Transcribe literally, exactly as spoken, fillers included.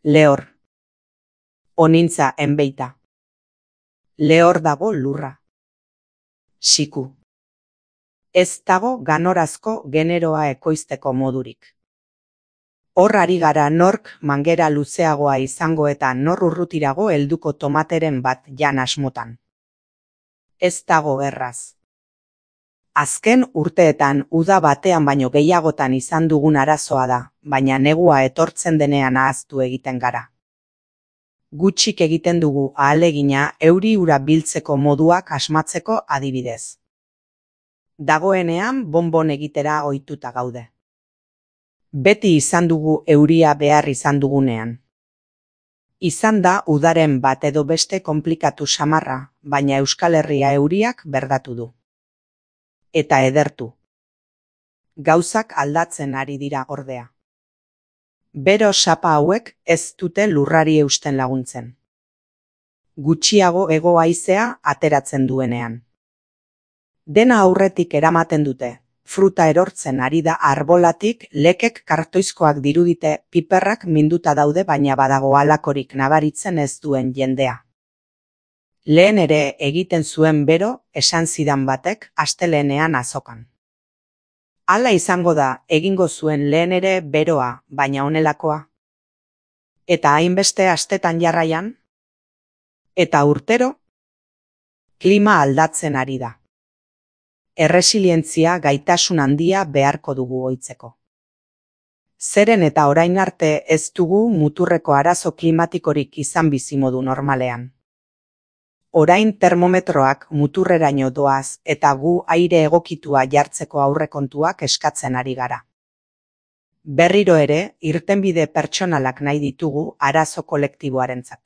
Lehor. Onintza enbeita. Lehor dago lurra. Siku. Ez dago ganorazko generoa ekoizteko modurik. Hor ari gara nork mangera luzeagoa izango eta nor urrutirago helduko tomateren bat jan asmotan. Ez dago erraz. Azken urteetan uda batean baino gehiagotan izan dugun arazoa da, baina negua etortzen denean ahaztu egiten gara. Gutxik egiten dugu ahalegina euri ura biltzeko moduak asmatzeko adibidez. Dagoenean bonbon egitera ohituta gaude. Beti izan dugu euria behar izan dugunean. Izan da udaren bat edo beste konplikatu samarra, baina Euskal Herria euriak berdatu du. Eta edertu. Gauzak aldatzen ari dira ordea. Bero sapa hauek ez dute lurrari eusten laguntzen. Gutxiago hego haizea ateratzen duenean. Dena aurretik eramaten dute. Fruta erortzen ari da arbolatik, lekek kartoizkoak dirudite, piperrak minduta daude baina badago halakorik nabaritzen ez duen jendea. Lehen ere egiten zuen bero, esan zidan batek, astelehenean azokan. Hala izango da, egingo zuen lehen ere beroa, baina honelakoa. Eta hainbeste astetan jarraian? Eta urtero? Klima aldatzen ari da. Erresilientzia gaitasun handia beharko dugu ohitzeko. Zeren eta orain arte ez dugu muturreko arazo klimatikorik izan bizimodu normalean. Orain termometroak muturreraino doaz eta gu aire egokitua jartzeko aurrekontuak eskatzen ari gara. Berriro ere, irtenbide pertsonalak nahi ditugu arazo kolektiboarentzat.